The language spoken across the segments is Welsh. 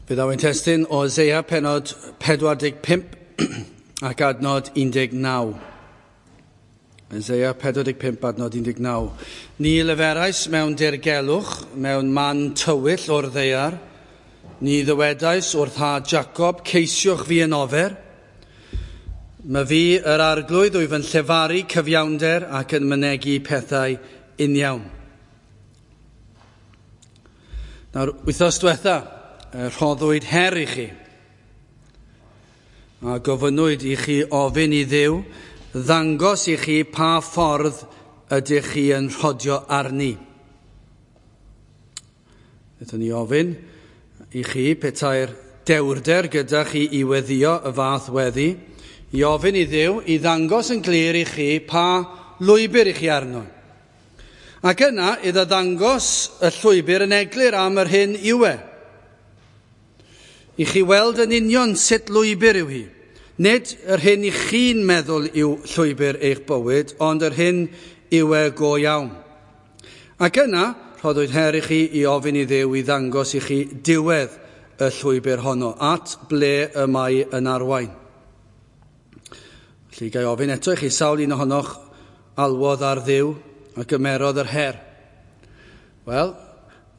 Fe ddaw ein testun o Eseia pennod 45 ac adnod 19. Eseia 45 adnod 19. Ni leferais mewn dirgelwch, mewn man tywyll o'r ddaear. Ni ddywedais wrth had Jacob, ceisiwch fi yn ofer. Mae fi yr arglwydd wyf yn llefaru cyfiawnder ac yn mynegi pethau uniawn. Nawr, wythnos diwetha, rhoddwyd her i chi. A gofynnwyd i chi ofyn i Dduw ddangos i chi pa ffordd ydych chi yn rhodio arni. Wnaethon ni ofyn i chi petai'r dewrder gyda chi i weddio y fath weddi, i ofyn i Dduw i ddangos yn glir i chi pa lwybr i chi arno. Ac yna iddo ddangos y llwybr yn eglur am yr hyn yw e. I chi weld yn union sut lwybr yw hi. Nid yr hyn i chi'n meddwl yw llwybr eich bywyd, ond yr hyn yw e go iawn. Ac yna, rhoddwyd her i chi i ofyn i Dduw i ddangos i chi diwedd y llwybr honno, at ble y mae yn arwain. Felly, ga i ofyn eto i chi, sawl un ohonoch alwodd ar Dduw a gymerodd yr her? Wel,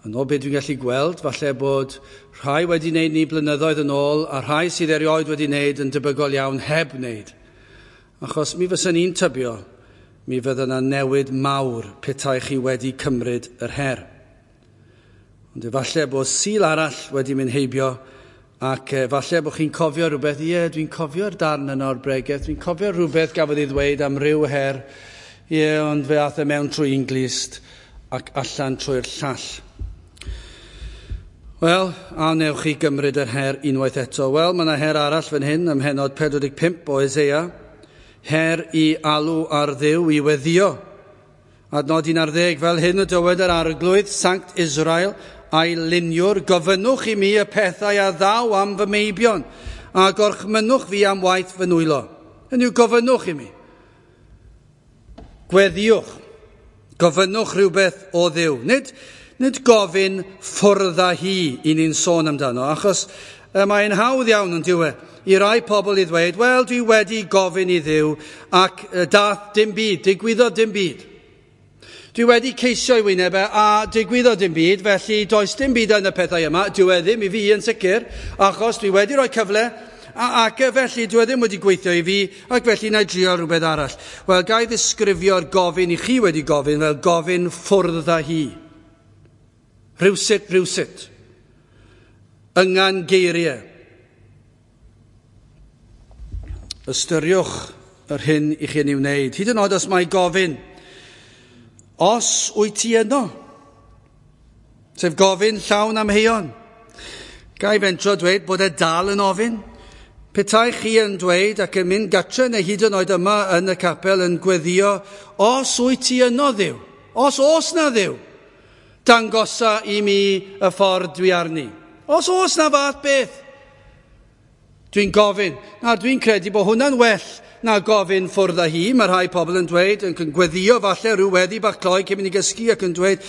yn ôl beth dwi'n gallu gweld, falle bod rhai wedi wneud ni blynyddoedd yn ôl a rhai sydd erioed wedi wneud yn debygol iawn heb wneud. Achos mi fyswn i'n tybio, mi fydda yna newid mawr petai chi wedi cymryd yr her. Ond efallai bod Sul arall wedi mynd heibio ac efallai bod chi'n cofio rhywbeth, ie, dwi'n cofio'r darn yna o'r bregeth, dwi'n cofio rhywbeth gafodd ei ddweud am ryw her, ie, ond fe aeth e mewn trwy un glust ac allan trwy'r llall. Wel, a wnewch chi gymryd yr her unwaith eto? Wel, mae yna her arall fan hyn ym mhennod 45 o Eseia. Her i alw ar Dduw i weddio. Adnod 11, fel hyn y dywed yr Arglwydd, Sanct Israel, a'i luniwr, gofynnwch i mi y pethau a ddaw am fy meibion, a gorchmynnwch fi am waith fy nwylo. Hynny yw, gofynnwch i mi. Gweddiwch. Gofynnwch rhywbeth o Dduw. Nid gofyn ffwrdd â hi i ni'n sôn amdano, achos mae'n hawdd iawn yn diwe i rai pobl i ddweud, wel, dwi wedi gofyn i Dduw ac dath dim byd, digwyddodd dim byd. Dwi wedi ceisio i wyneb e a digwyddodd dim byd, felly does dim byd yn y pethau yma, dyw e ddim i fi yn sicr, achos dwi wedi rhoi cyfle ac felly dyw e ddim wedi gweithio i fi, ac felly na i drio rhywbeth arall. Wel, ga i ddisgrifio'r gofyn i chi wedi gofyn fel gofyn ffwrdd â hi. Rhywsut, rhywsut. Yngan geiriau. Ystyriwch yr hyn i chi'n ei wneud. Hyd yn oed os mae gofyn, os wyt ti yno? Sef gofyn llawn amheuon. Ga i fentro dweud bod e dal yn ofyn? Petai chi yn dweud ac yn mynd gatre neu hyd yn oed yma yn y capel yn gweddio, os wyt ti yno Dduw? Os oes na Dduw? Dangosa i mi y ffordd dwi arni. Os oes na fath beth, dwi'n gofyn. Na, dwi'n credu bod hwnna'n well na gofyn ffwrdd â hi. Mae rhai pobl yn dweud, yn gweddio falle rhyw weddi bach cloi cyn mynd i gysgu ac yn dweud,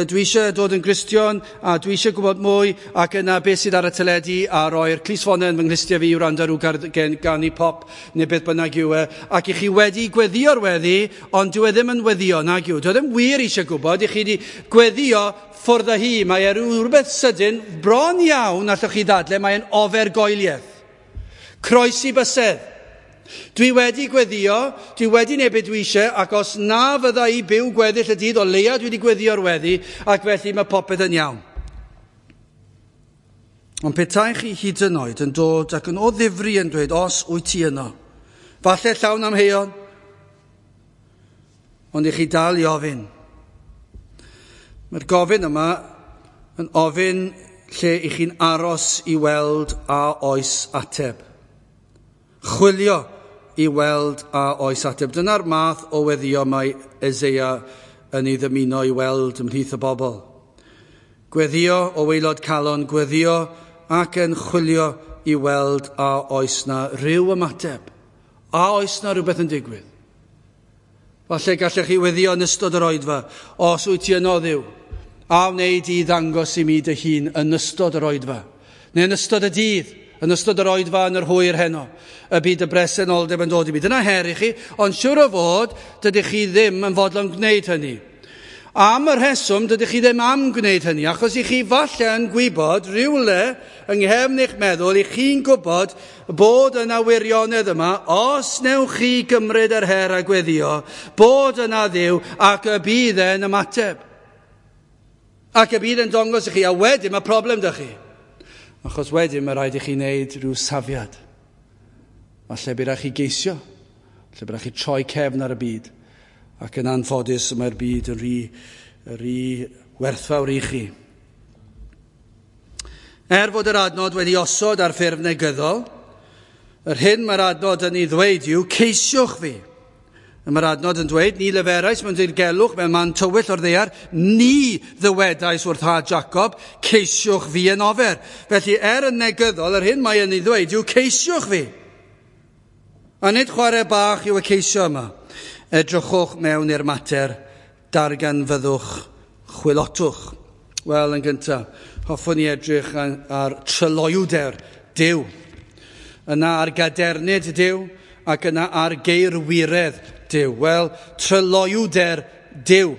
dwi eisiau dod yn Gristion a dwi eisiau gwybod mwy, ac yna beth sydd ar y teledu a roi'r clustffonau yn fy nghlustiau fi i wrando rhyw ganu pop neu beth bynnag yw e. Ac i chi wedi gweddio'r weddi, ond dyw e ddim yn weddio, nag yw. Dyw e ddim wir eisiau gwybod, i chi wedi gweddio ffwrdd â hi. Mae e rhywbeth sydyn, bron iawn, allwch chi ddadle, mae'n ofergoeliaeth. Croesi bysedd. Dwi wedi gweddio, dwi wedi neud beth dwi eisiau, ac os na fydda i byw gweddill y dydd, o leia dwi wedi gweddio'r weddi, ac felly mae popeth yn iawn. Ond petai chi hyd yn oed yn dod ac yn o ddifri yn dweud, os wyt ti yno, falle llawn amheuon, ond i chi dal i ofyn. Mae'r gofyn yma yn ofyn lle i chi'n aros i weld a oes ateb. Chwilio i weld a oes ateb. Dyna'r math o weddio mae Eseia yn ei ddymuno i weld ymhlith y bobl. Gweddio o waelod calon, gweddio ac yn chwilio i weld a oes na rhyw ymateb. A oes na rhywbeth yn digwydd. Falle gallech chi weddio yn ystod yr oedfa, os wyt ti yno Dduw, a wneud i ddangos i mi dy hun yn ystod yr oedfa. Neu yn ystod y dydd, yn ystod yr oedfa yn yr hwyr heno, y byd y bresenoldeb yn dod i mi. Dyna her i chi, ond siŵr o fod, dydych chi ddim yn fodlon gwneud hynny. Am y rheswm, dydych chi ddim am gwneud hynny, achos i chi falle yn gwybod rhywle yng nghefn eich meddwl, i chi'n gwybod bod yna wirionedd yma, os newch chi gymryd yr her a gweddio, bod yna Dduw ac y bydd e'n ymateb. Ac y bydd yn dongos i chi, a wedyn mae problem 'da chi. Achos wedyn mae rhaid i chi wneud rhyw safiad. Falle bydd rhaid chi geisio, falle bydd rhaid chi troi cefn ar y byd. Ac yn anffodus mae'r byd yn rhy werthfawr i chi. Er fod yr adnod wedi osod ar ffurf negyddol, yr hyn mae'r adnod yn ei ddweud yw, ceisiwch fi. Mae'r adnod yn dweud, ni leferais mewn dirgelwch mewn man tywyll o'r ddaear, ni ddywedais wrth had Jacob, ceisiwch fi yn ofer. Felly er yn negyddol, yr hyn mae yn ei ddweud yw, ceisiwch fi. A nid chwarae bach yw y ceisio yma. Edrychwch mewn i'r mater, darganfyddwch, chwilotwch. Wel, yn gyntaf, hoffwn i edrych ar tryloywder Duw. Yna ar gadernid Duw ac yna ar geirwiredd Duw. Wel, tryloywder Duw.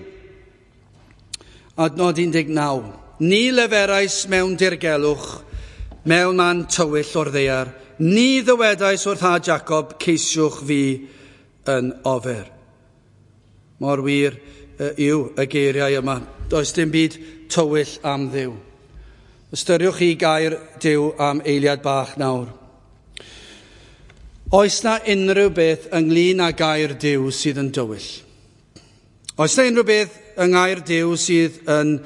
Adnod 19. Ni leferais mewn dirgelwch, mewn man tywyll o'r ddaear. Ni ddywedais wrth had Jacob, ceisiwch fi yn ofer. Mor wir yw y geiriau yma. Does dim byd tywyll am Dduw. Ystyriwch chi gair Duw am eiliad bach nawr. Oes na unrhyw beth ynglyn â gair Duw sydd yn dywyll? Oes na unrhyw beth yng ngair Duw sydd yn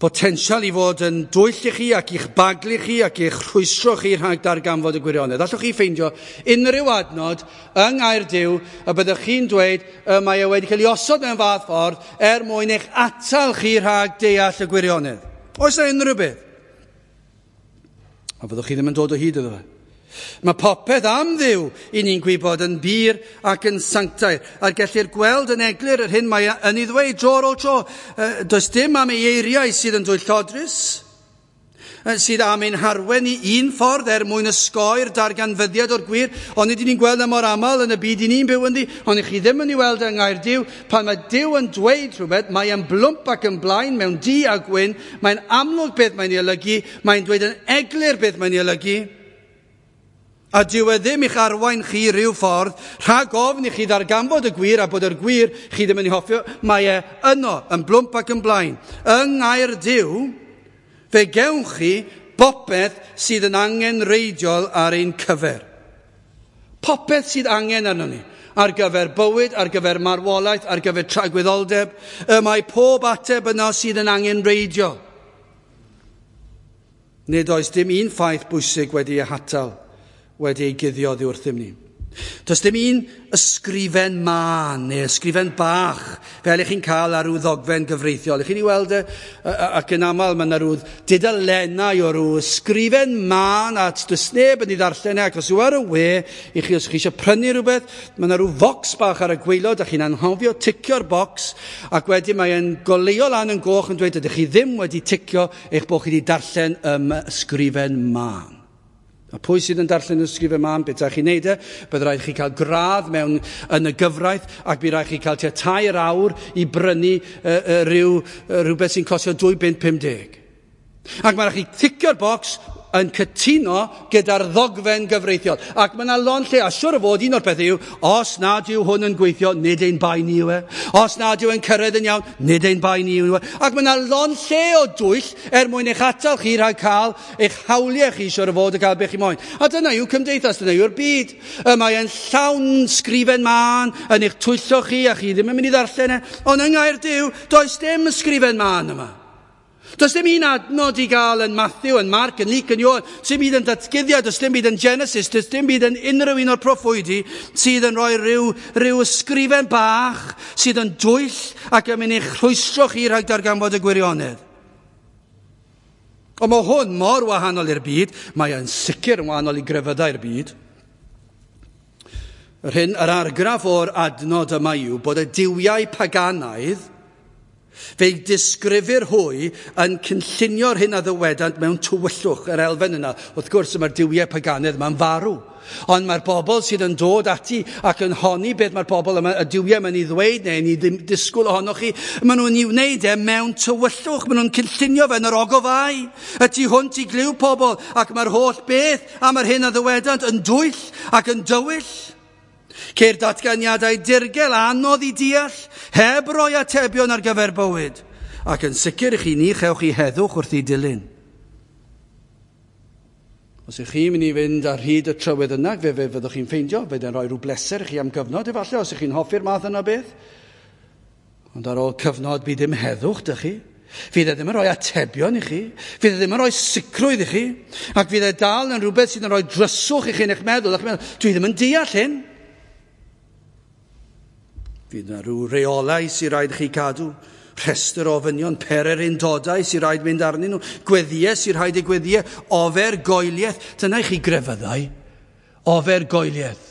potensial i fod yn dwyll i chi ac i'ch baglu chi ac i'ch rhwystro chi rhag darganfod y gwirionedd? Allwch chi ffeindio unrhyw adnod yng ngair Duw y byddwch chi'n dweud y mae e wedi cael ei osod mewn fath ffordd er mwyn eich atal chi rhag deall y gwirionedd? Oes na unrhyw beth? A fyddwch chi ddim yn dod o hyd iddo fe. Mae popeth am Dduw i ni'n gwybod yn bur ac yn sanctaidd, a gellir gweld yn eglur yr hyn mae yn ei ddweud dro ar ôl tro. Does dim am ei eiriau sydd yn dwyllodrus, sydd am ein harwen i un ffordd er mwyn ysgoi'r darganfyddiad o'r gwir, ond nid ni'n gweld mor aml yn y byd i ni'n byw ynddi, ond i chi ddim yn ei weld yng ngair Duw. Pan mae Duw yn dweud rhywbeth, mae e'n blwmp ac yn blaen mewn du a gwyn, mae'n amlwg beth mae'n ei olygu, mae'n dweud yn eglur beth mae'n ei olygu. A dyw e ddim i'ch arwain chi rhyw ffordd, rhag ofn i chi ddarganfod y gwir a bod yr gwir chi ddim yn ei hoffio, mae e yno, yn blwmp ac yn blaen. Yng ngair Duw, fe gewch chi bopeth sydd yn angenrheidiol ar ein cyfer. Popeth sydd angen arnon ni, ar gyfer bywyd, ar gyfer marwolaeth, ar gyfer tragwyddoldeb, y mae pob ateb yno sydd yn angenrheidiol. Nid oes dim un ffaith bwysig wedi ei hatal, wedi ei guddio oddi wrthym ni. Does dim un ysgrifen mân neu ysgrifen bach fel ych chi'n cael ar ryw ddogfen gyfreithiol. Ych chi'n ei weld e, ac yn aml mae yna rhyw dudalennau o ryw ysgrifen mân a does neb yn ei ddarllen e, ac os yw ar y we, i chi, os chi eisiau prynu rhywbeth, mae yna rhyw focs bach ar y gwaelod a chi'n anghofio ticio'r bocs, ac wedyn mae'n goleuo lan yn goch yn dweud ydych chi ddim wedi ticio eich bod chi wedi darllen ysgrifen mân. A pwy sydd yn darllen y ysgrifen mân, beth ydych chi'n neud e? Bydd rhaid chi cael gradd mewn yn y gyfraith, ac bydd rhaid chi cael tua 3 awr i brynu rhywbeth sy'n costio £2.50. Ac mae rhaid chi ticio'r bocs yn cytuno gyda'r ddogfen gyfreithiol. Ac mae yna lond lle, a siwr o fod un o'r pethau yw, os nad yw hwn yn gweithio, nid ein bai ni yw e. Os nad yw e'n cyrraedd yn iawn, nid ein bai ni yw e. Ac mae yna lond lle o dwyll er mwyn eich atal chi rhag cael eich hawliau chi, siwr o fod y cael beth chi moyn. A dyna yw cymdeithas, dyna yw'r byd. Y mae e'n llawn sgrifen mân yn eich twyllo chi, a chi ddim yn mynd i ddarllen e. Ond yng ngair Duw, does dim ysgrifen mân yma. Does dim un adnod i gael yn Matthew, yn Mark, yn Luke, yn Ioan, sy'n byd yn datguddiad, does dim byd yn Genesis, does dim byd yn unrhyw un o'r proffwydi sydd yn rhoi rhyw ysgrifen bach sydd yn dwyll ac yn mynd i'ch rhwystro chi rhag darganfod y gwirionedd. Ond mae hwn mor wahanol i'r byd, mae e'n sicr yn wahanol i grefyddau'r byd. Yr hyn, yr argraff o'r adnod yma yw bod y duwiau paganaidd Fe'i disgrifir hwy yn cynllunio'r hyn a ddywedant mewn tywyllwch, yr elfen yna. Wrth gwrs, mae'r duwiau paganedd yma'n farw. Ond mae'r bobl sydd yn dod ati ac yn honni beth mae'r bobl yma, y duwiau yma'n ei ddweud neu yn ei disgwyl ohonoch chi, maen nhw'n ei wneud e mewn tywyllwch, maen nhw'n cynllunio fe yn yr ogofau, y tu hwnt i glyw pobl, ac mae'r holl beth am yr hyn a ddywedant yn dwyll ac yn dywyll. Ceir datganiadau dirgel anodd i deall, heb roi atebion ar gyfer bywyd, ac yn sicr i chi ni chewch chi heddwch wrth i dilyn. Os ych chi'n mynd i fynd ar hyd y trywydd yna, fe fyddwch chi'n ffeindio, fydd e'n rhoi rhyw bleser i chi am gyfnod efallai, os ych chi'n hoffi'r math yna beth. Ond ar ôl cyfnod bydd dim heddwch dych chi. Fydd e ddim yn rhoi atebion i chi. Fydd e ddim yn rhoi sicrwydd i chi. Ac fydd e dal yn rhywbeth sydd yn rhoi dryswch i chi yn eich meddwl. Ac meddwl, dwi ddim yn deall hyn. Fydd yna rhyw reolau sy'n rhaid i chi cadw, rhestr o ofynion, pererindodau sy'n rhaid mynd arnyn nhw, gweddïau sy'n rhaid eu gweddïau, ofergoeliaeth. Dyna i chi grefyddau, ofergoeliaeth.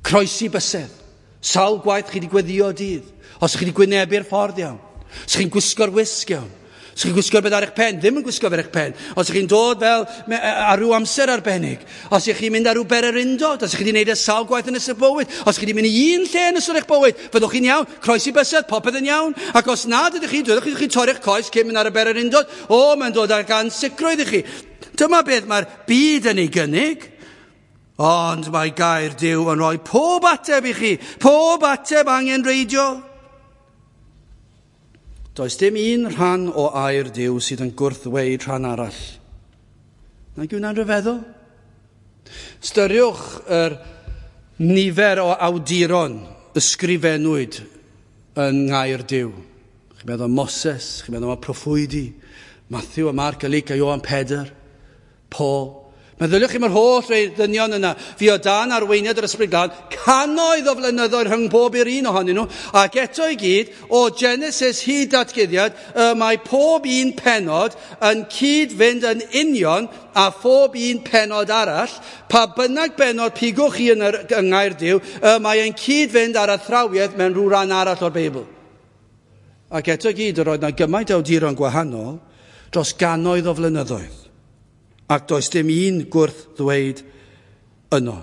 Croesi bysedd, sawl gwaith chi wedi gweddio dydd, os chi wedi gwynebu'r ffordd iawn, os chi'n gwisgo'r wisg iawn, os chi'n gwisgo'r beth ar eich pen, ddim yn gwisgo ar eich pen. Os chi'n dod fel ar ryw amser arbennig, os ych chi'n mynd ar ryw bererindod, os ych chi wedi gwneud y sawl gwaith yn ystod bywyd, os chi wedi mynd i un lle yn ystod eich bywyd, fyddwch chi'n iawn, croesi bysedd, popeth yn iawn. Ac os nad ydych chi, dwedwch chi torri'ch coes cyn mynd ar y bererindod, o, mae'n dod ag ansicrwydd i chi. Dyma beth mae'r byd yn ei gynnig. Ond mae gair Duw yn rhoi pob ateb i chi, pob ateb angenrheidiol. Does dim un rhan o air Duw sydd yn gwrthweud rhan arall. Nag yw hwnna'n rhyfeddol? Ystyriwch yr nifer o awduron ysgrifennwyd yn ngair Duw. Chi'n meddwl am Moses, chi'n meddwl am y proffwydi, Matthew a Mark a Luke a Ioan Pedr, Paul. Meddyliwch chi mae'r holl ddynion yna, fi o dan arweiniad yr Ysbryd Glân, cannoedd o flynyddoedd rhwng pob i'r un ohonyn nhw, ac eto i gyd, o Genesis hyd Datguddiad, mae pob un pennod yn cyd-fynd yn union a phob un pennod arall, pa bynnag bennod pigwch chi yn yr ngair Duw, mae e'n cyd-fynd ar athrawiaeth mewn rhyw ran arall o'r Beibl. Ac eto i gyd, yr oedd yna gymaint o awduron gwahanol dros gannoedd o flynyddoedd. Ac does dim un gwrth ddweud yno.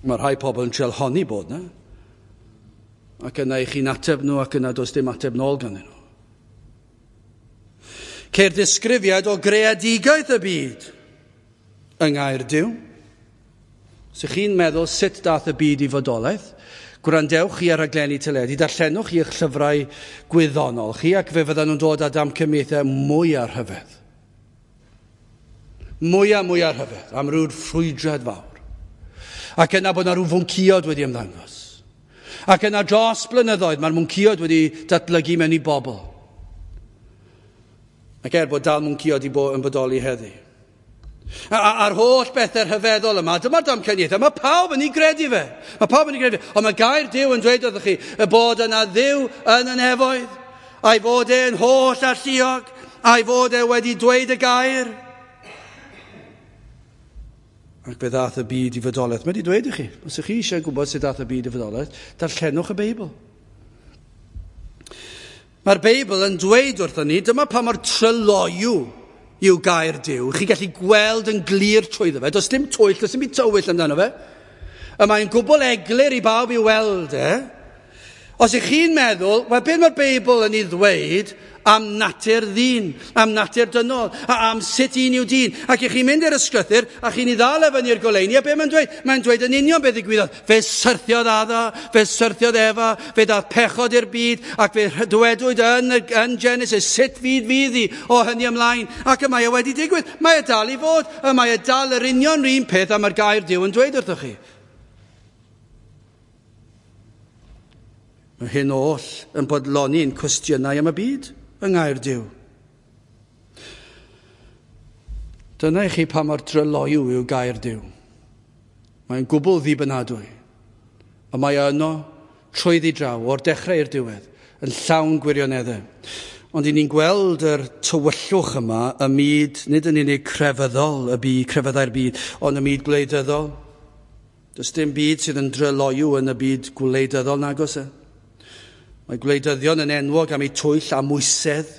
Mae rhai pobl yn trial honni bod yna. Ac yna i chi'n ateb nhw, ac yna does dim ateb nôl ganddyn nhw. Ceir disgrifiad o greadigaeth y byd yng ngair Duw. Os ych chi'n meddwl sut dath y byd i fodolaeth, gwrandewch chi ar raglenni teledu, darllenwch chi eich llyfrau gwyddonol chi, ac fe fyddan nhw'n dod â damcaniaethau mwy a rhyfedd. Mwy a mwy ar rhyfedd, am rhyw ffrwydrad fawr. Ac yna bod yna rhyw fwnciod wedi ymddangos. Ac yna dros blynyddoedd mae'r mwnciod wedi datblygu mewn i bobl. Ac er bod dal mwnciod i yn bodoli heddi. A'r holl bethau rhyfeddol yma, dyma'r damcaniaethau, mae pawb yn ei gredu fe. Mae pawb yn ei gredu fe. Ond mae gair Duw yn dweud wrthych chi y bod yna Dduw yn y nefoedd, a'i fod e'n holl alluog, a'i fod e wedi dweud y gair. Ac fe ddath y byd i fodolaeth. Mae wedi dweud i chi, os ych chi eisiau gwybod sut ddath y byd i fodolaeth, darllenwch y Beibl. Mae'r Beibl yn dweud wrthon ni, dyma pa mor tryloyw yw gair Duw. Chi'n gallu gweld yn glir trwyddo fe. Does dim twyll, does dim byd tywyll amdano fe. Y mae'n gwbl eglur i bawb i weld e. Os ych chi'n meddwl, wel, beth mae'r Beibl yn ei ddweud am natur ddyn, am natur dynol, a am sut un yw dyn. Ac ych chi'n mynd i'r ysgrythur, a chi'n ei ddal e fyny i'r goleuni, a be mae'n dweud? Mae'n dweud yn union beth ddigwyddodd. Fe syrthiodd Adda, fe syrthiodd Efa, fe ddath pechod i'r byd, ac fe dywedwyd yn Genesis, sut fyd fydd hi o hynny ymlaen. Ac y mae e wedi digwydd. Mae e dal i fod, y mae e dal yr union un peth am yr gair Duw yn dweud wrthych chi. Mae hyn oll yn bodloni'n cwestiynau am y byd yng ngair Duw. Dyna i chi pa mor dryloyw yw gair Duw. Mae'n gwbl ddibynadwy. A mae yno trwyddi draw, o'r dechrau i'r diwedd, yn llawn gwirioneddau. Ond i ni'n gweld yr tywyllwch yma ym myd, nid yn unig crefyddol, y byd, crefyddau'r byd, ond y myd gwleidyddol. Does dim byd sydd yn dryloyw yn y byd gwleidyddol nag oes e. Mae gwleidyddion yn enwog am eu twyll a mwysedd.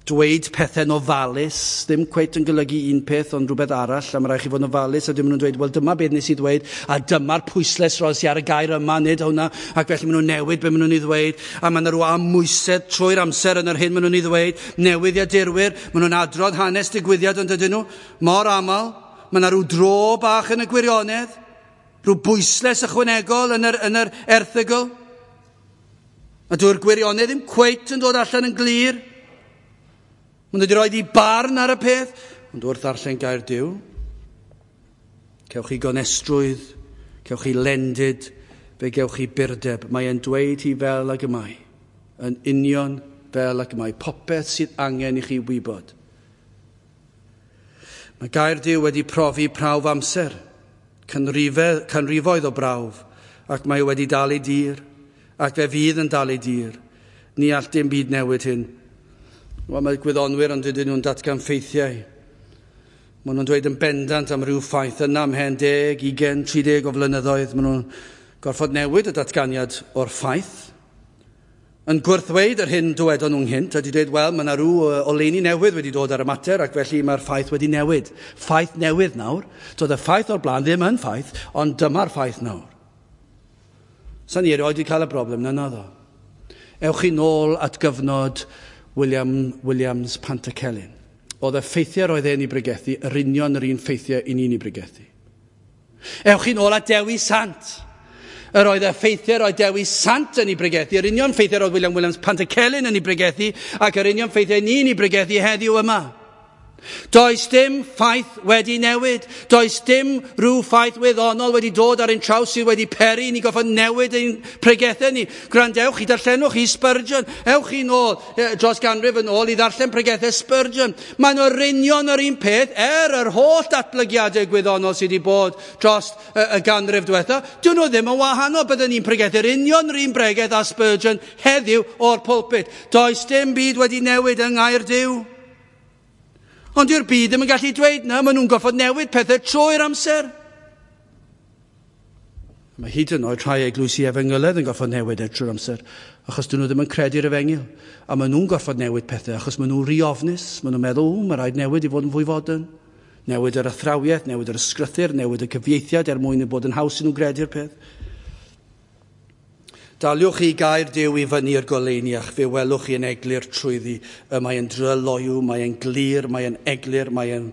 Dweud pethau'n ofalus, ddim cweit yn golygu un peth ond rhywbeth arall, a mae rhaid chi fod yn ofalus, a dim nhw'n dweud, wel dyma beth nes i ddweud, a dyma'r pwyslais roes i ar y gair yma, nid hwnna, ac felly maen nhw'n newid beth maen nhw'n ei ddweud, a mae yna rhyw amwysedd trwy'r amser yn yr hyn maen nhw'n ei ddweud, newyddiadurwyr, maen nhw'n adrodd hanes digwyddiad ond ydyn nhw, mor aml, mae yna rhyw dro bach yn y gwirionedd, rhyw bwyslais ychwanegol yn yr erthygl, a dyw'r gwirionedd ddim cweit yn dod allan yn glir. Maen nhw wedi rhoi i barn ar y peth, ond wrth ddarllen gair Duw, cewch chi gonestrwydd, cewch chi lendid, fe gewch chi burdeb. Mae e'n dweud hi fel ag y mae, yn union fel ag y mae, popeth sydd angen i chi wybod. Mae gair Duw wedi profi prawf amser, canrifoedd o brawf, ac mae wedi dal ei dir, ac fe fydd yn dal ei dir. Ni all dim byd newid hyn. Wel, mae gwyddonwyr ond ydyn nhw'n datgan ffeithiau. Maen nhw'n dweud yn bendant am ryw ffaith yna ymhen 10, 20, 30 o flynyddoedd. Maen nhw'n gorfod newid y datganiad o'r ffaith. Yn gwrthweud yr hyn dywedon nhw'n gynt, a wedi dweud, wel, mae yna rhyw oleuni newydd wedi dod ar y mater, ac felly mae'r ffaith wedi newid. Ffaith newydd nawr. Doedd y ffaith o'r blaen ddim yn ffaith, ond dyma'r ffaith nawr. Sa'n ni erioed wedi cael y broblem na naddo. Ewch chi nôl at gyfnod William Williams Pantycelyn. Oedd y ffeithiau roedd e'n ei bregethu, yr union yr un ffeithiau i ni'n ei bregethu. Ewch chi nôl at Dewi Sant. Yr oedd y ffeithiau roedd Dewi Sant yn ei bregethu, yr union ffeithiau roedd William Williams Pantycelyn yn ei bregethu, ac yr union ffeithiau ni'n ei bregethu heddiw yma. Does dim ffaith wedi newid. Does dim rhyw ffaith wyddonol wedi dod ar ein traws sydd wedi peri ni goffod newid ein pregethau ni. Gwrandewch i darllenwch i Spurgeon. Ewch chi nôl dros ganrif yn ôl i ddarllen pregethau Spurgeon. Maen nhw'r union yr un peth er yr holl datblygiadau gwyddonol sydd wedi bod dros y ganrif diwetha. Dyn nhw ddim yn wahanol. Byddwn ni'n pregethu'r union yr un bregeth a Spurgeon heddiw o'r pulpit. Does dim byd wedi newid yng Ngair Duw. Ond dyw'r byd ddim yn gallu dweud na, maen nhw'n goffod newid pethau trwy'r amser. Mae hyd yn oed rhai eglwysi efengylaidd yn goffod newid e trwy'r amser, achos dyn nhw ddim yn credu'r efengyl. A maen nhw'n gorfod newid pethau, achos maen nhw'n rhy ofnus. Maen nhw'n meddwl, mae rhaid newid i fod yn fwy fodern. Newid yr athrawiaeth, newid yr ysgrythur, newid y cyfieithiad er mwyn i bod yn haws i nhw gredu'r peth. Daliwch chi gair Duw i fyny i'r goleuni ac fe welwch chi yn eglur trwyddi. Mae e'n dryloyw, mae e'n glir, mae e'n eglur, mae e'n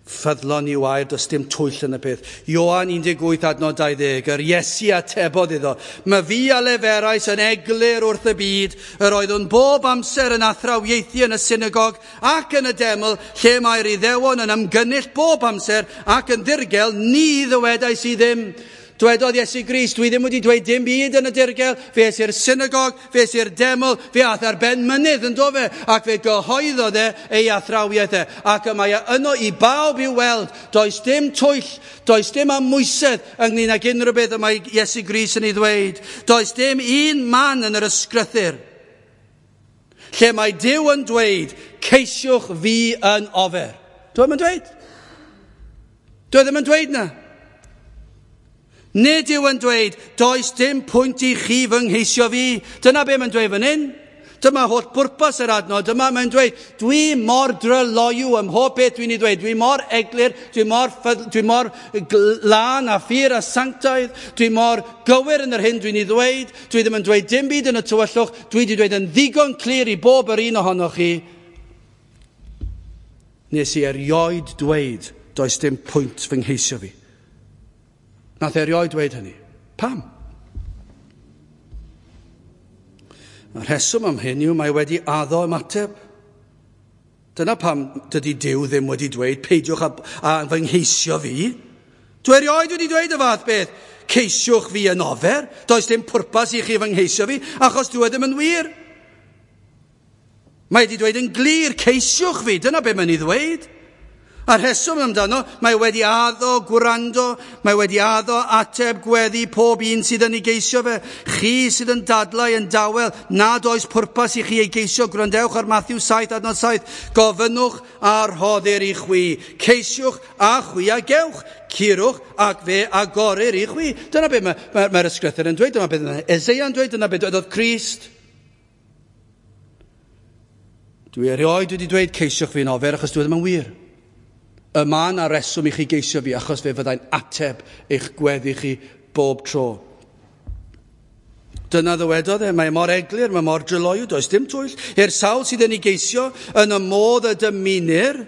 ffyddlon i'w air, does dim twyll yn y peth. Ioan 18 adnod 20, yr Iesu atebodd iddo, "My fi a leferais yn eglur wrth y byd, yr oeddwn bob amser yn athrawiaethu yn y synagog ac yn y deml, lle mae'r Iddewon yn ymgynnull bob amser ac yn ddirgel, ni ddywedais i ddim." Dwedodd Iesu Grist, dwi ddim wedi dweud dim byd yn y dirgel, fe es i'r synagog, fe es i'r deml, fe ath ar ben mynydd yn do fe, ac fe gyhoeddodd e ei athrawiaeth e, ac y mae e yno i bawb i'w weld. Does dim twyll, does dim amwysedd ynglyn ag unrhyw beth y mae Iesu Grist yn ei ddweud. Does dim un man yn yr ysgrythur lle mae Duw yn dweud, ceisiwch fi yn ofer. Dwi ddim yn dweud. Dwi ddim yn dweud na. Nid yw yn dweud, does dim pwynt i chi fy ngheisio fi. Dyna be mae'n dweud fan hyn. Dyma holl bwrpas yr adnod. Dyma mae'n dweud, dwi mor dryloyw ym mhob beth dwi'n ei ddweud. Dwi mor eglur, dwi mor lân a phur a sanctaidd. Dwi mor gywir yn yr hyn dwi'n ei ddweud. Dwi ddim yn dweud dim byd yn y tywyllwch. Dwi wedi dweud yn ddigon clir i bob yr un ohonoch chi. Nes i erioed dweud, does dim pwynt fy ngheisio fi. Nath erioed dweud hynny. Pam? Y rheswm am hyn yw mae wedi addo ymateb. Dyna pam dydy Duw ddim wedi dweud, peidiwch a fy ngheisio fi. Dwi erioed wedi dweud y fath beth. Ceisiwch fi yn ofer. Does dim pwrpas i chi fy ngheisio fi, achos dwi ddim yn wir. Mae wedi dweud yn glir, ceisiwch fi. Dyna be mae'n ei ddweud. A'r rheswm amdano, mae wedi addo gwrando, mae wedi addo ateb gweddi pob un sydd yn ei geisio fe. Chi sydd yn dadlau yn dawel, nad oes pwrpas i chi ei geisio, gwrandewch ar Matthew 7 adnod 7. Gofynnwch a rhoddir i chwi, ceisiwch a chwi a gewch, curwch ac fe agorir i chwi. Dyna beth mae'r ysgrythur yn dweud, dyna beth mae Eseia yn dweud, dyna beth dwedodd Crist. Dwi erioed wedi dweud ceisiwch fi'n ofer achos dwi ddim yn wir. Y mae yna reswm i chi geisio fi achos fe fyddai'n ateb eich gweddi chi bob tro. Dyna ddywedodd e, mae mor eglur, mae mor dryloyw, does dim twyll. I'r sawl sydd yn ei geisio yn y modd y dymunir,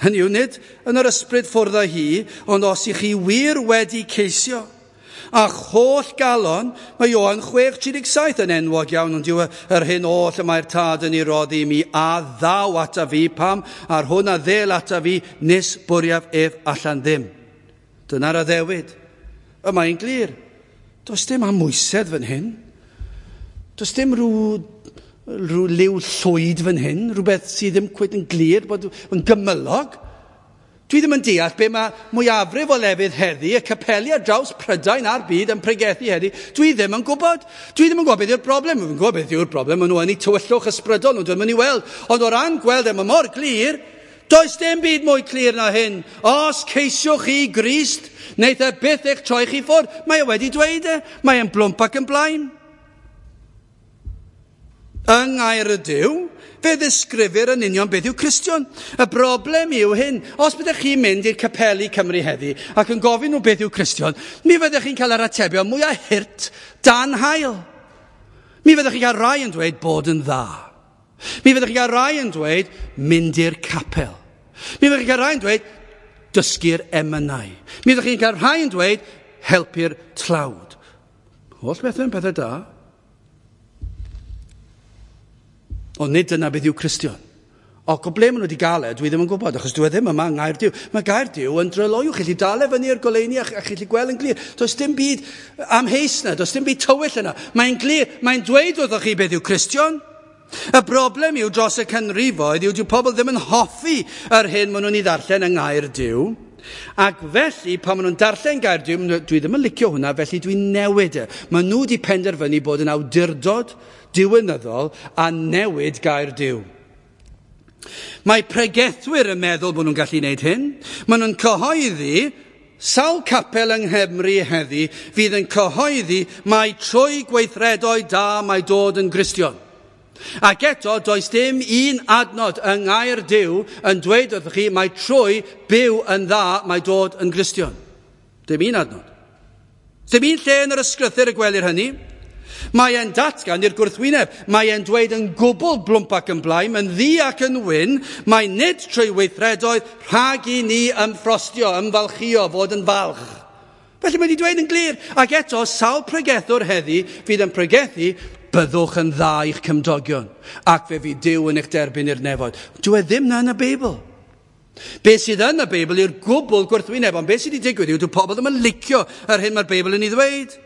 hynny yw nid yn yr ysbryd ffwrdd â hi, ond os i chi wir wedi ceisio, a'ch holl galon, mae Ioan 6:37 yn enwog iawn, ond yw yr hyn oll y mae'r tad yn ei roddi i mi, a ddaw ata fi, pam, a'r hwn a ddel ata fi, nis bwriaf ef allan ddim. Dyna'r addewid. Y mae'n glir. Does dim amwysedd fan hyn. Does dim rhyw liw llwyd fan hyn, rhywbeth sydd ddim cweit yn glir, bod yn gymylog. Dwi ddim yn deall be mae mwyafrif o lefydd heddi, y capeli ar draws Prydain a'r byd yn pregethu heddi. Dwi ddim yn gwybod. Dwi ddim yn gwybod beth yw'r broblem. Dwi'n gwybod beth yw'r broblem. Maen nhw yn eu tywyllwch ysbrydol, nhw ddim yn ei weld. Ond o ran gweld e, mae mor glir, does dim byd mwy clir na hyn. Os ceisiwch chi Grist, wneith e byth eich troi chi ffwrdd. Mae e wedi dweud e. Mae e'n blwmp ac yn blaen. Yng ngair y Duw, fe ddisgrifir yn union beth yw Cristion. Y broblem yw hyn. Os byddech chi'n mynd i'r capeli Cymru heddi ac yn gofyn nhw beth yw Cristion, mi fyddech chi'n cael yr atebion mwyaf hurt dan haul. Mi fyddech chi'n cael rai yn dweud bod yn dda. Mi fyddech chi'n cael rai yn dweud mynd i'r capel. Mi fyddech chi'n cael rai yn dweud dysgu'r emynau. Mi fyddech chi'n cael rhai yn dweud helpu'r tlawd. Holl bethau yn pethau da. Ond nid dyna beth yw Cristion. Ac o ble maen nhw wedi gael e, dwi ddim yn gwybod, achos dwi ddim yma yng Ngair Duw. Mae Gair Duw yn dryloyw, chi'n gallu dal e fyny i'r goleuni a chi'n gallu gweld yn glir. Does dim byd amheus yna, does dim byd tywyll yna. Mae'n glir, mae'n dweud wrthoch chi beth yw Cristion. Y broblem yw dros y canrifoedd yw dyw pobl ddim yn hoffi yr hyn maen nhw'n ei ddarllen yng Ngair Duw. Ac felly, pan maen nhw'n darllen Gair Duw, dwi ddim yn licio hwnna, felly dwi'n newid e. Maen nhw wedi penderfynu bod yn awdurdod diwinyddol a newid Gair Duw. Mae pregethwyr yn meddwl bod nhw'n gallu gwneud hyn. Maen nhw'n cyhoeddi, sawl capel yng Nghymru heddi fydd yn cyhoeddi mai trwy gweithredoedd da mae dod yn Gristion. Ac eto, does dim un adnod yng Ngair Duw yn dweud wrthych chi mai trwy byw yn dda mae dod yn Gristion. Dim un adnod. Dim un lle yn yr ysgrythur y gwelir hynny. Mae e'n datgan i'r gwrthwyneb. Mae e'n dweud yn gwbl blwmp ac yn blaen, yn ddu ac yn wyn, mae nid trwy weithredoedd rhag i ni ymffrostio, ymfalchio, fod yn falch. Felly mae wedi dweud yn glir. Ac eto, sawl pregethwr heddi fydd yn pregethu, byddwch yn dda i'ch cymdogion, ac fe fydd Duw yn eich derbyn i'r nefoedd. Dyw e ddim na yn y Beibl. Be sydd yn y Beibl yw'r gwbl gwrthwyneb, ond be sydd wedi digwydd yw dyw pobl ddim yn licio yr hyn mae'r Beibl yn ei ddweud.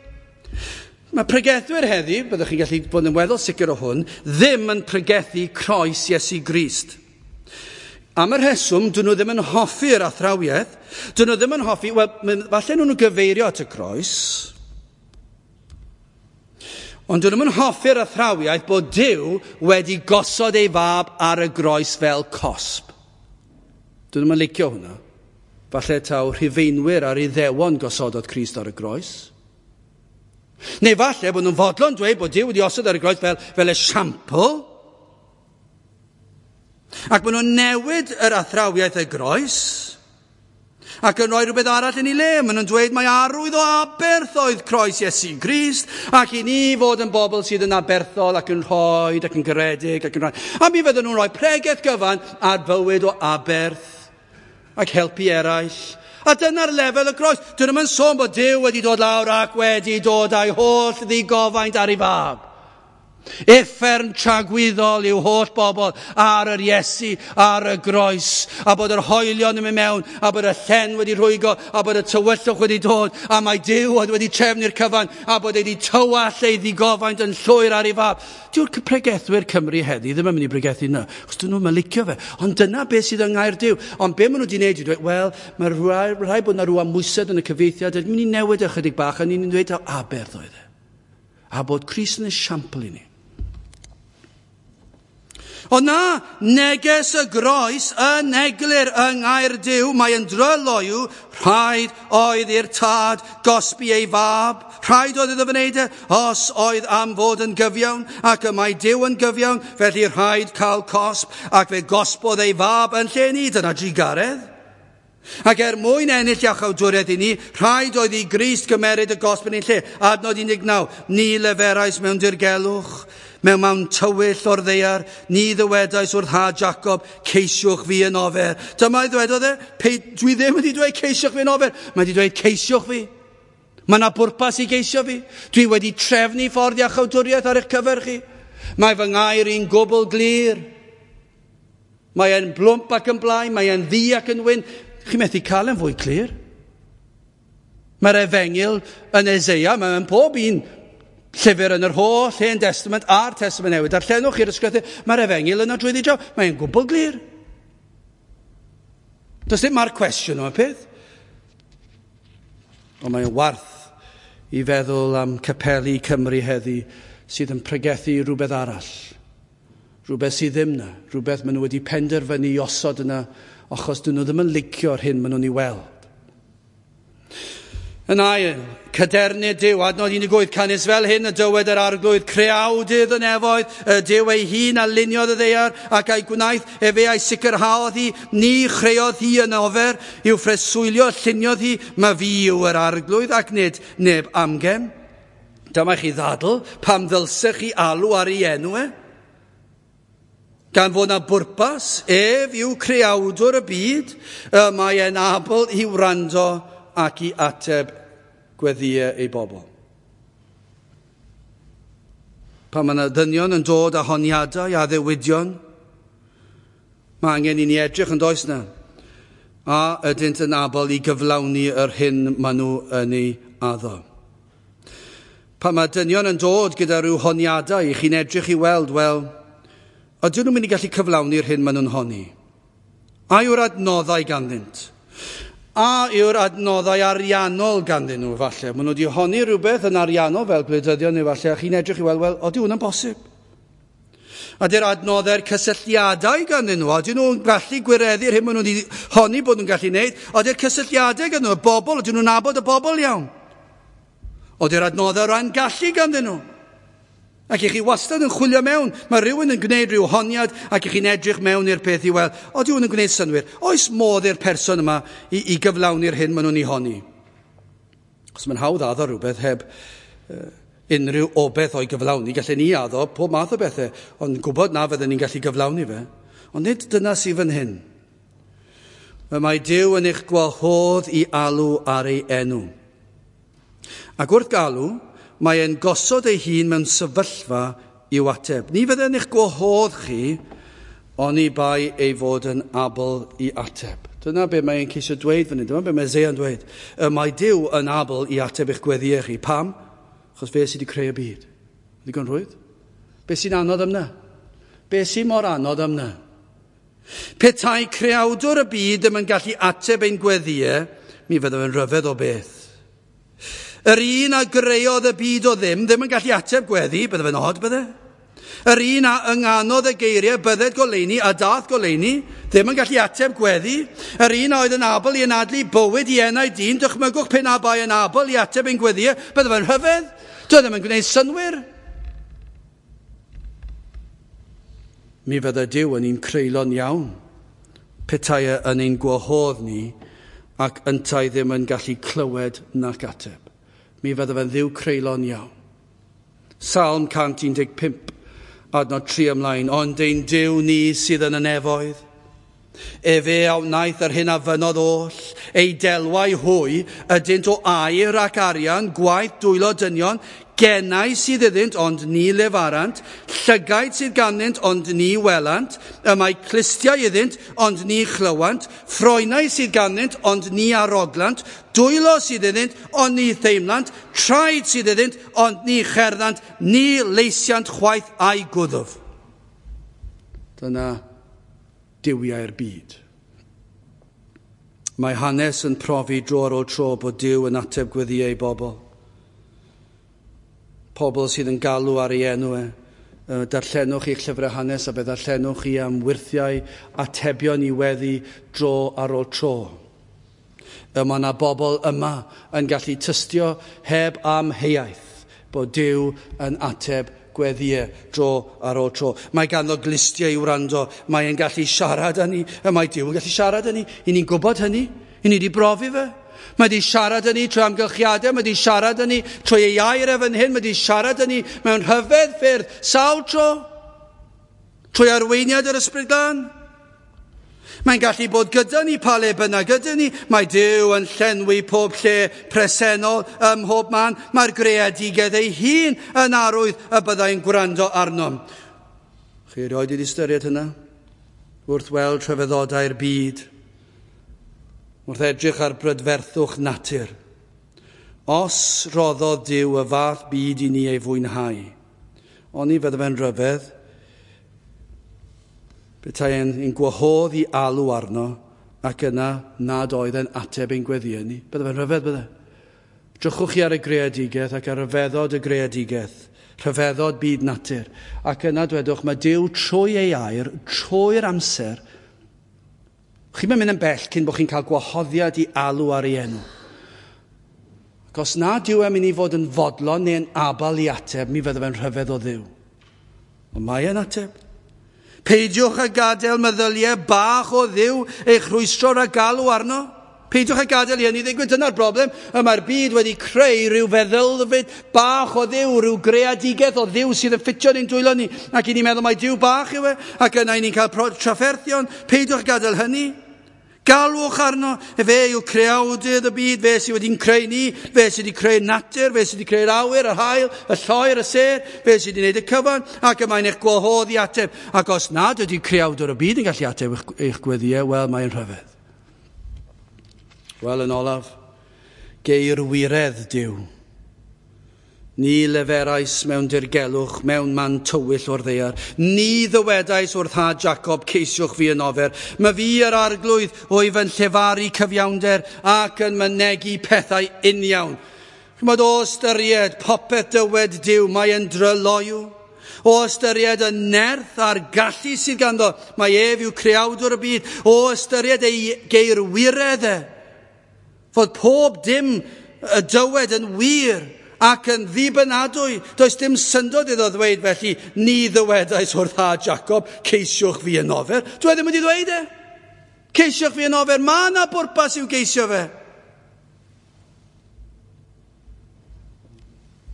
Mae pregethwyr heddi, byddwch chi'n gallu bod yn weddol sicr o hwn, ddim yn pregethu croes Iesu Grist. Am y rheswm, dyn nhw ddim yn hoffi'r athrawiaeth, dyn nhw ddim yn hoffi, wel, falle nhw'n gyfeirio at y croes, ond dyn nhw'n hoffi'r athrawiaeth bod Duw wedi gosod ei fab ar y groes fel cosb. Dyn nhw'n licio hwnna. Falle taw Rhufeinwyr a'r Iddewon gosododd Crist ar y groes. Neu falle bod nhw'n fodlon dweud bod Duw wedi osod ar y groes fel esiampl. Ac maen nhw'n newid yr athrawiaeth y groes ac yn rhoi rhywbeth arall yn ei le. Maen nhw'n dweud mai arwydd o aberth oedd croes Iesu Grist ac i ni fod yn bobl sydd yn aberthol ac yn rhoi ac yn garedig ac yn rhoi. A mi fydden nhw'n rhoi pregeth gyfan ar fywyd o aberth ac helpu eraill. A dyna'r lefel y groes. Dyn nhw'n sôn bod Duw wedi dod lawr ac wedi dod â'i holl ddigofaint ar ei fab. Uffern tragwyddol yw holl bobl ar yr Iesu, ar y groes, a bod yr hoelion yn mynd mewn, a bod y llen wedi rhwygo, a bod y tywyllwch wedi dod, a mae Duw oedd wedi trefnu'r cyfan, a bod wedi tywallt ei ddigofaint yn llwyr ar ei fab. Dyw'r pregethwyr Cymru heddi ddim yn mynd i bregethu yna, achos dyn nhw'n licio fe. Ond dyna beth sydd yng ngair Duw. Ond be maen nhw wedi gwneud yw dweud, wel, mae rhaid bod yna rhyw amwysedd yn y cyfieithiad, yn mynd i newid ychydig bach, a ni'n dweud aberth oedd e. A bod Crist yn esiampl i ni. Ond na, neges y groes yn eglur yng ngair Duw, mae yn dryloyw, rhaid oedd i'r tad gosbi ei fab, rhaid oedd iddo fe wneud e, os oedd am fod yn gyfiawn, ac y mae Duw yn gyfiawn, felly rhaid cael cosb, ac fe gosbodd ei fab yn lle ni, dyna drugaredd. Ac er mwyn ennill iachawdwriaeth i ni, rhaid oedd i Grist gymeryd y gosb yn ein lle. Adnod 19, ni leferais mewn dirgelwch, mewn tywyll o'r ddaear, ni ddywedais wrth had Jacob, ceisiwch fi yn ofer. Dyma ei ddwedodd e, dwi ddim wedi dweud ceisiwch fi yn ofer, mae wedi dweud ceisiwch fi. Mae yna bwrpas i geisio fi. Dwi wedi trefnu ffordd iachawdwriaeth ar eich cyfer chi. Mae fy ngair i'n gwbl glir. Mae e'n blwmp ac yn blaen, mae e'n ddu ac yn wyn. Chi methu cael e'n fwy clir. Mae'r efengyl yn Eseia, mae'n pob un llyfr yn yr holl Hen Testament a'r Testament Newydd. Darllenwch i'r ysgrythur, mae'r efengyl yna drwyddi draw. Mae'n gwbl glir. Does dim ma'r cwestiwn o'r peth. Ond mae'n warth i feddwl am capeli Cymru heddi sydd yn pregethu rhywbeth arall. Rhywbeth sydd ddim na. Rhywbeth maen nhw wedi penderfynu i osod yna achos dyn nhw ddim yn licio'r hyn maen nhw'n ei weld. Yn ail, cadernid Duw, adnod 18, canys fel hyn y dywed yr arglwydd, creawdydd y nefoedd, y Duw ei hun a luniodd y ddaear, ac a'i gwnaeth, efe a'i sicrhaodd hi, ni chreodd hi yn ofer, i'w phreswylio lluniodd hi, mae fi yw yr arglwydd, ac nid neb amgen. Dyma chi ddadl, pam ddylsech chi alw ar ei enw e? Gan fod na bwrpas, ef yw creawdwr y byd, y mae e'n abl i wrando ac i ateb gweddïau ei bobl. Pan mae yna ddynion yn dod â honiadau a ddewidion, mae angen i ni edrych yn does na, a ydynt yn abl i gyflawni yr hyn maen nhw yn ei addo. Pan mae dynion yn dod gyda rhyw honiadau, i chi'n edrych i weld, wel, ydyn nhw'n mynd i gallu cyflawni'r hyn maen nhw'n honni? A yw'r adnoddau ganddynt? A yw'r adnoddau ariannol ganddyn nhw, falle? Maen nhw wedi honni rhywbeth yn ariannol fel gwleidyddion neu falle, a chi'n edrych i weld, wel, ydy hwnna'n bosib? Ydy'r adnoddau'r cysylltiadau ganddyn nhw? Ydyn nhw'n gallu gwireddu'r hyn maen nhw wedi honni bod nhw'n gallu wneud? Ydy'r cysylltiadau ganddyn nhw, y bobl, ydyn nhw'n nabod y bobl iawn? Ydy'r adnoddau ran gallu ganddyn nhw? Ac i chi wastad yn chwilio mewn, mae rhywun yn gwneud rhyw honiad ac i chi'n edrych mewn i'r peth i weld, ydy hwn yn gwneud synnwyr? Oes modd i'r person yma i gyflawni'r hyn maen nhw'n ei honni? Os mae'n hawdd addo rhywbeth heb unrhyw obeth o'i gyflawni, gallen ni addo pob math o bethau, ond gwybod na fydden ni'n gallu gyflawni fe. Ond nid dyna sydd fan hyn. Mae Duw yn eich gwahodd i alw ar ei enw. Ac wrth galw, mae e'n gosod ei hun mewn sefyllfa i'w ateb. Ni fydde'n eich gwahodd chi, oni bai ei fod yn abl i ateb. Dyna be mae'n ceisio dweud fan hyn, dyma be mae Eseia'n dweud. Y mae Duw yn abl i ateb eich gweddïau chi. Pam? Achos fe sydd wedi creu y byd. Ddigon rhwydd? Be sy'n anodd am na? Be sy'n mor anodd am na? Petai creawdwr y byd ddim yn gallu ateb ein gweddïau, mi fydde fe'n rhyfedd o beth. Yr un a greodd y byd o ddim, ddim yn gallu ateb gweddi, bydde fe'n od, bydde? Yr un a ynganodd y geiriau, bydded goleuni a dath goleuni, ddim yn gallu ateb gweddi. Yr un a oedd yn abl i anadlu bywyd i enau dyn, dychmygwch pe na bai yn abl i ateb ein gweddïau, bydde fe'n rhyfedd? Doedd ddim yn gwneud synnwyr. Mi fydde Duw yn un creulon iawn, petai e yn ein gwahodd ni ac yntau ddim yn gallu clywed nac ateb. Mi fydde fe'n ddiw creulon iawn. Salm 115, adnod 3 ymlaen, ond ein Duw ni sydd yn y nefoedd. Efe a wnaeth yr hyn a fynnodd oll, ei delwau hwy ydynt o aur ac arian, gwaith dwylo dynion, genau sydd iddynt ond ni lefarant, llygaid sydd ganddynt ond ni welant, y mae clustiau iddynt ond ni chlywant, ffroenau sydd ganddynt ond ni aroglant, dwylo sydd iddynt ond ni theimlant, traed sydd iddynt ond ni cherddant, ni leisiant chwaith a'i gwddf. Dyna duwiau'r byd. Mae hanes yn profi dro ar ôl tro bod Duw yn ateb gweddïau ei bobl. Pobl sydd yn galw ar ei enw e. Darllenwch eich llyfrau hanes a fe ddarllenwch chi am wyrthiau atebion i weddi dro ar ôl tro. Y mae yna bobl yma yn gallu tystio heb amheuaeth bod Duw yn ateb gweddïau dro ar ôl tro. Mae ganddo glustiau i wrando, mae e'n gallu siarad â ni, y mae Duw yn gallu siarad â ni. I ni'n gwybod hynny, i ni wedi brofi fe. Mae wedi siarad â ni trwy amgylchiadau, mae wedi siarad â ni trwy ei air e fan hyn, mae wedi siarad â ni mewn rhyfedd ffyrdd, sawl tro, trwy arweiniad yr Ysbryd Glân. Mae'n gallu bod gyda ni pa le bynnag gyda ni. Mae Duw yn llenwi pob lle presennol ym mhob man. Mae'r greadigedd ei hun yn arwydd y byddai'n gwrando arnom. Chi erioed wedi ystyried hynna? Wrth weld rhyfeddodau'r byd, wrth edrych ar brydferthwch natur. Os roddodd Duw y fath byd i ni ei fwynhau, oni fydde fe'n rhyfedd, petai e'n gwahodd i alw arno ac yna nad oedd e'n ateb ein gweddïau ni. Bydde fe'n rhyfedd, bydde? Drychwch chi ar y greadigaeth ac ar ryfeddod y greadigaeth, rhyfeddod byd natur. Ac yna dwedwch, mae Duw trwy ei air, trwy'r amser, chi'n mynd yn bell cyn bod chi'n cael gwahoddiad i alw ar ei enw. Ac os nad yw e'n mynd i fod yn fodlon neu'n abal i ateb, mi fydde fe'n rhyfedd o Dduw. Ond mae e'n ateb. Peidiwch â gadael meddyliau bach o Dduw eich rhwystro rhag galw arno. Peidiwch â gadael i hynny ddigwydd. Dyna'r broblem. Y mae'r byd wedi creu rhyw feddylfryd bach o Dduw, rhyw greadigaeth o Dduw sydd yn ffitio ni'n dwylo ni. Ac i ni'n meddwl mai Duw bach yw e. Ac yna i ni'n cael trafferthion. Peidiwch â gadael hynny. Galwch arno, fe yw creawdydd y byd, fe sydd wedi'n creu ni, fe sydd wedi creu natur, fe sydd wedi creu'r awyr, yr haul, y lloer, y sêr, fe sydd wedi gwneud y cyfan, ac y mae'n eich gwahodd i ateb. Ac os nad ydy creawdwr y byd yn gallu ateb eich gweddïau, wel, mae'n rhyfedd. Wel, yn olaf, geir wiredd Duw. Ni leferais mewn dirgelwch, mewn man tywyll o'r ddaear. Ni ddywedais wrth had Jacob, ceisiwch fi yn ofer. Mae fi yr arglwydd wyf yn llefaru cyfiawnder ac yn mynegi pethau uniawn. Chymod, o ystyried popeth dywed Duw, mae yn dryloyw. O ystyried y nerth a'r gallu sydd ganddo, mae ef yw creawdwr y byd. O ystyried ei geirwiredd e, fod pob dim y dywed yn wir ac yn ddibynadwy. Does dim syndod iddo ddweud felly, ni ddywedais wrth had Jacob, ceisiwch fi yn ofer. Dwi ddim wedi ddweud e. Ceisiwch fi yn ofer, mae yna bwrpas i'w geisio fe.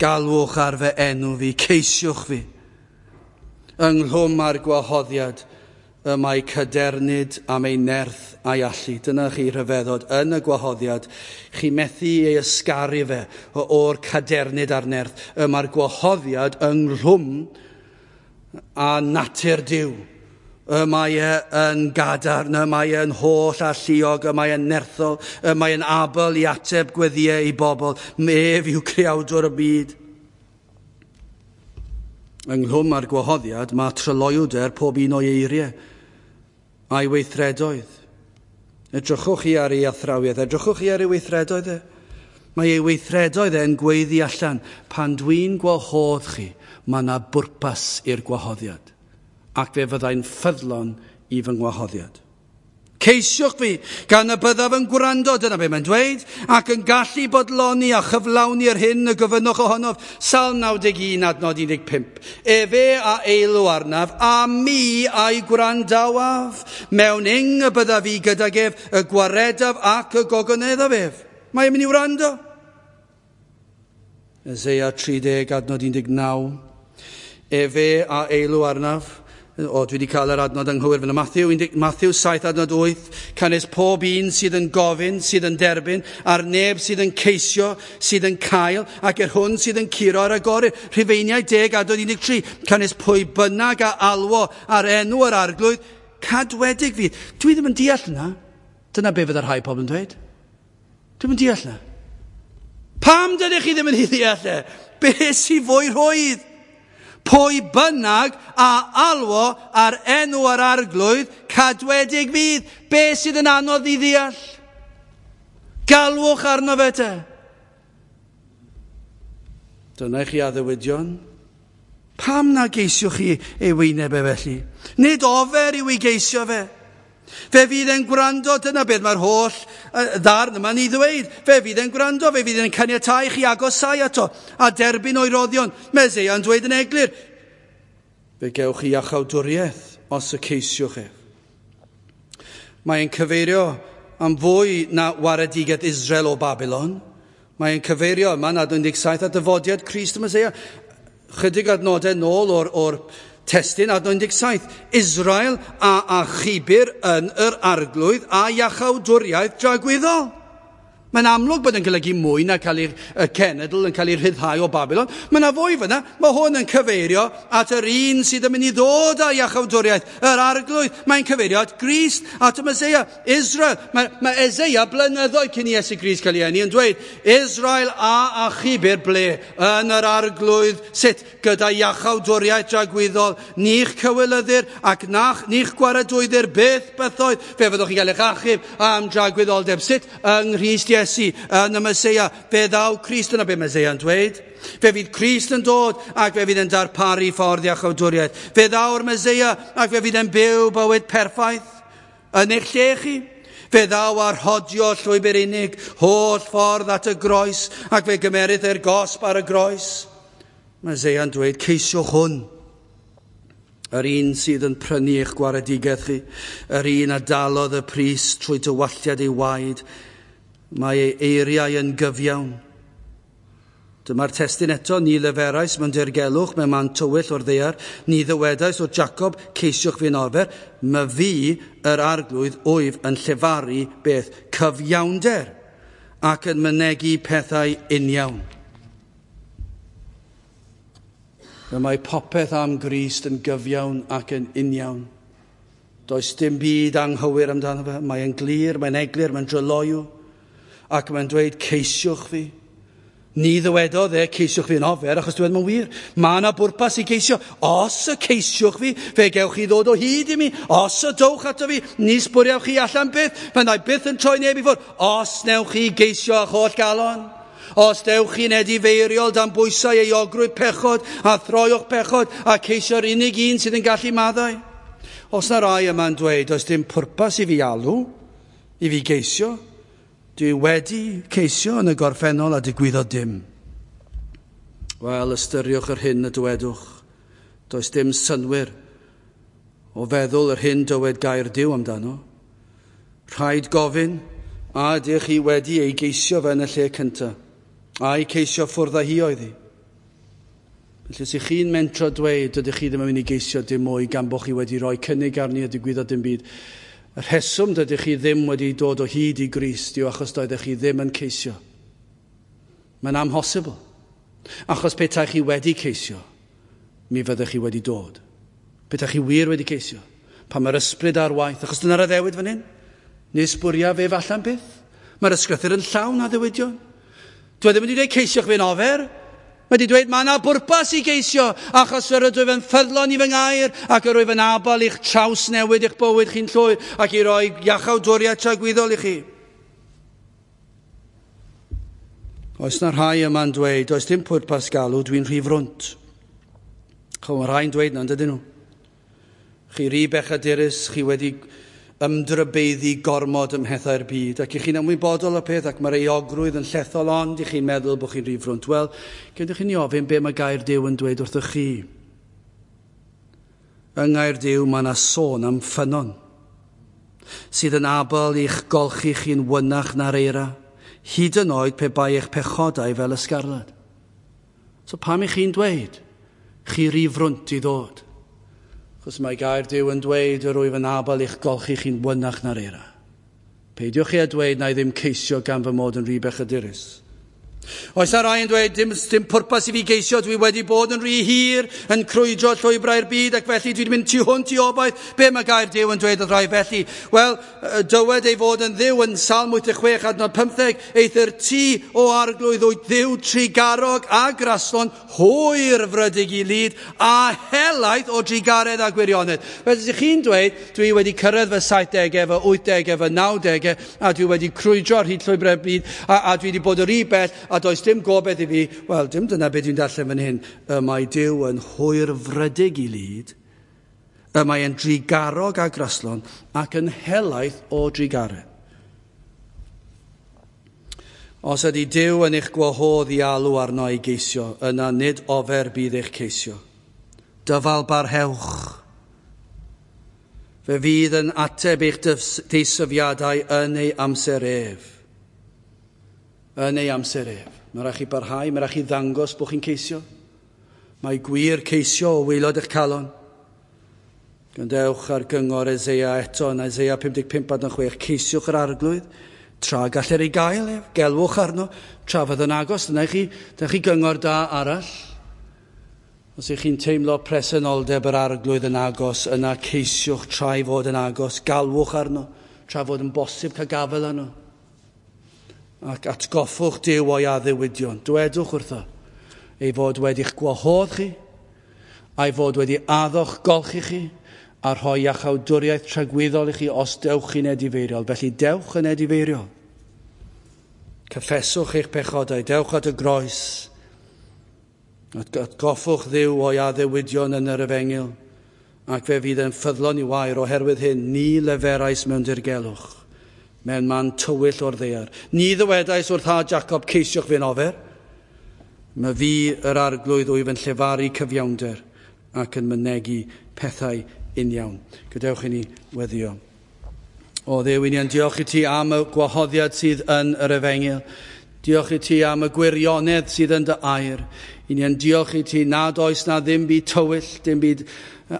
Galwch ar fy enw fi, ceisiwch fi. Ynghlwm â'r gwahoddiad, y mae cadernid am ei nerth a'i allu. Dyna chi rhyfeddod yn y gwahoddiad. Chi methu ei ysgaru fe o'r cadernid a'r nerth. Y mae'r gwahoddiad ynghlwm â natur Duw. Y mae e yn gadarn, y mae e'n holl alluog, y mae e'n nerthol, y mae e'n abl i ateb gweddïau i bobl. Ef yw creawdwr y byd. Ynghlwm â'r gwahoddiad, mae tryloywder pob un o'i eiriau a'i weithredoedd. Edrychwch chi ar ei athrawiaeth, edrychwch chi ar ei weithredoedd e. Mae ei weithredoedd e'n gweiddi allan. Pan dwi'n gwahodd chi, mae yna bwrpas i'r gwahoddiad. Ac fe fyddai'n ffyddlon i fy ngwahoddiad. Ceisiwch fi, gan y byddaf yn gwrando, dyna be mae'n dweud, ac yn gallu bodloni a chyflawni yr hyn y gofynnwch ohonof. Salm 91 adnod 15. Efe a eilw arnaf, a mi a'i gwrandawaf. Mewn ing y byddaf fi gydag ef, y gwaredaf ac y gogoneddaf ef. Mae e'n mynd i wrando. Eseia 30 adnod 19. Efe a eilw arnaf, O, dwi wedi cael yr adnod anghywir fan Matthew, Matthew 7 adnod 8, canys pob un sydd yn gofyn, sydd yn derbyn, a'r neb sydd yn ceisio, sydd yn cael, ac yr hwn sydd yn curo ar agorir. Rhufeiniau 10 adnod 13, canys pwy bynnag a alwo ar enw yr arglwydd, cadwedig fydd. Dwi ddim yn deall yna. Dyna be fydda rhai pobl yn dweud. Dwi'm yn deall yna. Pam dydych chi ddim yn ei ddeall e? Be sy'n fwy rhwydd? Pwy bynnag a alwo ar enw yr arglwydd, cadwedig fydd. Be sydd yn anodd i ddeall? Galwch arno fe te. Dyna i chi addewidion. Pam na geisiwch chi ei wyneb e felly? Nid ofer yw ei geisio fe. Fe fydd e'n gwrando, dyna beth mae'r holl ddarn yma'n ei ddweud. Fe fydd e'n gwrando, fe fydd e'n caniatáu chi agosau ato a derbyn o'i roddion. Mae Eseia'n dweud yn eglur, fe gewch chi iachawdwriaeth os y ceisiwch ef. Mae'n cyfeirio am fwy na waredigaeth Israel o Babylon. Mae'n cyfeirio yma yn adnod 17 at dyfodiad Crist y Meseia. Chydig adnodau nôl o'r testun adnod 17. Israel a achubir yn yr arglwydd a iachawdwriaeth dragwyddol. Mae'n amlwg bod yn golygu mwy na cael ei cenedl yn cael ei rhyddhau o Babylon. Mae yna fwy fyna. Mae hwn yn cyfeirio at yr un sydd yn mynd i ddod â iachawdwriaeth, yr arglwydd. Mae'n cyfeirio at Grist, at y Meseia, Israel. Mae Eseia blynyddoedd cyn i Iesu Grist cael ei eni yn dweud, Israel a achubir ble yn yr arglwydd, sut gyda iachawdwriaeth dragwyddol, ni'ch cywilyddir ac ni'ch gwaradwyddir byth bythoedd. Fe fyddwch chi'n cael eich achub am dragwyddoldeb. Sut? Yng Nghrist Iesu, yn y Meseia. Fe ddaw Crist, yna be Meseia'n dweud. Fe fydd Crist yn dod ac fe fydd yn darparu ffordd iachawdwriaeth. Fe ddaw'r Meseia ac fe fydd yn byw bywyd perffaith yn eich lle chi. Fe ddaw ar rhodio llwybr unig, holl ffordd at y groes, ac fe gymerith e'r gosb ar y groes. Mae Eseia'n dweud, ceisiwch hwn, yr un sydd yn prynu eich gwaredigaeth chi, yr un a dalodd y pris trwy dywalltiad ei waed, mae ei eiriau yn gyfiawn. Dyma'r testun eto, ni leferais mewn dirgelwch, mewn man tywyll o'r ddaear, ni ddywedais o Jacob, ceisiwch fi'n ofer, my fi yr arglwydd wyf yn llefaru beth cyfiawnder ac yn mynegi pethau uniawn. Fe mae popeth am Grist yn gyfiawn ac yn uniawn. Does dim byd anghywir amdano fe. Mae'n glir, mae'n eglur, mae'n dryloyw. Ac mae'n dweud, ceisiwch fi. Ni ddywedodd e, ceisiwch fi yn ofer, achos dweud mae'n wir. Mae yna bwrpas i geisio. Os y ceisiwch fi, fe gewch chi ddod o hyd i mi. Os y dowch ato fi, ni sbwriawch chi allan byth. Fe wna i byth yn troi neb i ffwrdd. Os newch chi geisio â'ch holl galon. Os dewch chi'n edifeiriol dan bwysau euogrwydd pechod a throi o'ch pechod a ceisio'r unig un sydd yn gallu maddau. Os na rai yma'n dweud, does dim pwrpas i fi alw, i fi geisio, dwi wedi ceisio yn y gorffennol a digwyddodd dim. Wel, ystyriwch yr hyn y dywedwch. Does dim synnwyr o feddwl yr hyn dywed gair Duw amdano. Rhaid gofyn, a ydych chi wedi ei geisio fe yn y lle cyntaf? A'i ceisio ffwrdd â hi oedd hi? Felly, os ych chi'n mentro dweud, dydych chi ddim yn mynd i geisio dim mwy gan bod chi wedi rhoi cynnig arni a digwyddodd dim byd. Y rheswm dydych chi ddim wedi dod o hyd i Grist yw achos doeddech chi ddim yn ceisio. Mae'n amhosibl. Achos petai chi wedi ceisio, mi fyddech chi wedi dod. Petai chi wir wedi ceisio, pan mae'r ysbryd ar waith, achos dyna'r addewid fan hyn, nes bwriaf ef allan byth. Mae'r ysgrythur yn llawn addewidion. Dwi ddim wedi dweud ceisiwch fi'n ofer. Mae wedi dweud mae yna bwrpas i geisio, achos yr ydw yn ffyddlon i fy ngair, ac yr wyf yn abal i'ch trawsnewid eich bywyd chi'n llwyr, ac i roi iachawdwriaeth tragwyddol i chi. Oes na rhai yma'n dweud, does dim pwrpas galw, dwi'n rhy frwnt. Chw, mae rhai'n dweud na, dydyn nhw. Chi ry bechadurus, chi wedi ymdrybeiddi gormod ym mhethau'r byd, ac i chi'n ymwybodol o'r peth, ac mae'r euogrwydd yn llethol, ond i chi'n meddwl bod chi'n rhy frwnt. Wel, gewch chi ni ofyn be mae gair Duw yn dweud wrthych chi. Yng ngair Duw mae yna sôn am ffynnon, sydd yn abl i'ch golchi chi'n wynach na'r eira, hyd yn oed pe bai eich pechodau fel ysgarlad. So pam i chi'n dweud, chi rhy frwnt i ddod? Chos mae gair Duw yn dweud yr wyf yn abal i'ch golchi chi'n wynach na'r eira. Peidiwch chi a dweud na i ddim ceisio gan fy mod yn rhy bechadurus. Oes na rai yn dweud, dim pwrpas i fi geisio, dwi wedi bod yn rhy hir yn crwydro llwybrau'r byd ac felly dwi wedi mynd tu hwnt i obaith. Be mae gair Duw yn dweud wrth rai felly? Wel, dywed ei fod yn Dduw yn Salm 86 adnod 15, eithr ti o Arglwydd wyt Dduw trugarog a graslon, hwyr frydig i lid a helaeth o drugaredd a gwirionedd. Felly ydych chi'n dweud, dwi wedi cyrraedd fy 70au, fy 80au, fy 90au, a dwi wedi crwydro ar hyd llwybrau'r byd, a dwi wedi bod yn rhy bell, a does dim gobaith i fi. Wel, dim dyna beth dwi'n darllen fan hyn. Y mae Duw yn hwyrfrydig i lid, y mae yn drugarog a graslon, ac yn helaeth o drugaredd. Os ydy Duw yn eich gwahodd i alw arno i geisio, yna nid ofer bydd eich ceisio. Dyfal barhewch. Fe fydd yn ateb eich deisyfiadau yn ei amser ef. Yn ei amser ef. Mae rhaid chi barhau, mae rhaid chi ddangos bod chi'n ceisio. Mae gwir ceisio o waelod eich calon. Gwrandewch ar gyngor Eseia eto yn Eseia 55 adnod 6. Ceisiwch yr Arglwydd, tra gallir ei gael ef, gelwch arno, tra fydd yn agos. Dyna chi gyngor da arall. Os ych chi'n teimlo presenoldeb yr Arglwydd yn agos, yna ceisiwch tra ei fod yn agos, galwch arno, tra fod yn bosib cael gafael arno. Ac atgoffwch Duw o'i addewidion. Dwedwch wrtho ei fod wedi'ch gwahodd chi, a'i fod wedi addo'ch golchi chi, a rhoi iachawdwriaeth tragwyddol i chi os dewch chi'n edifeiriol. Felly dewch yn edifeiriol. Cyffeswch eich pechodau, dewch at y groes. Atgoffwch Dduw o'i addewidion yn yr efengyl, ac fe fydd yn ffyddlon i'w air. Oherwydd hyn, ni leferais mewn dirgelwch, mewn man tywyll o'r ddaear. Ni ddywedais wrth had Jacob, ceisiwch fi'n ofer. Mae fi yr Arglwydd wyf yn llefaru cyfiawnder ac yn mynegi pethau uniawn. Gadewch i ni weddio. O Dduw, i ni yn diolch i ti am y gwahoddiad sydd yn yr efengyl. Diolch i ti am y gwirionedd sydd yn dy air. I ni yn diolch i ti nad oes na ddim byd tywyll, dim byd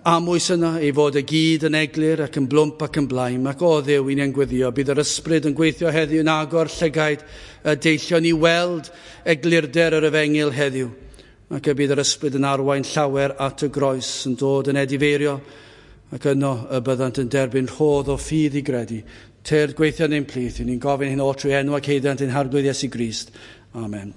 amwys yna, ei fod y gyd yn eglur ac yn blwmp ac yn blaen. Ac o Dduw, i ni yn gweddio, bydd yr ysbryd yn gweithio heddiw yn agor llygaid y deillion i weld eglurder yr efengyl heddiw. Ac y bydd yr ysbryd yn arwain llawer at y groes, yn dod yn edifeirio, ac yno y byddant yn derbyn rhodd o ffydd i gredu. Tyrd gweithio yn ein plith, i ni'n gofyn hyn oll trwy enw ac haeddiant ein Harglwydd Iesu Grist. Amen.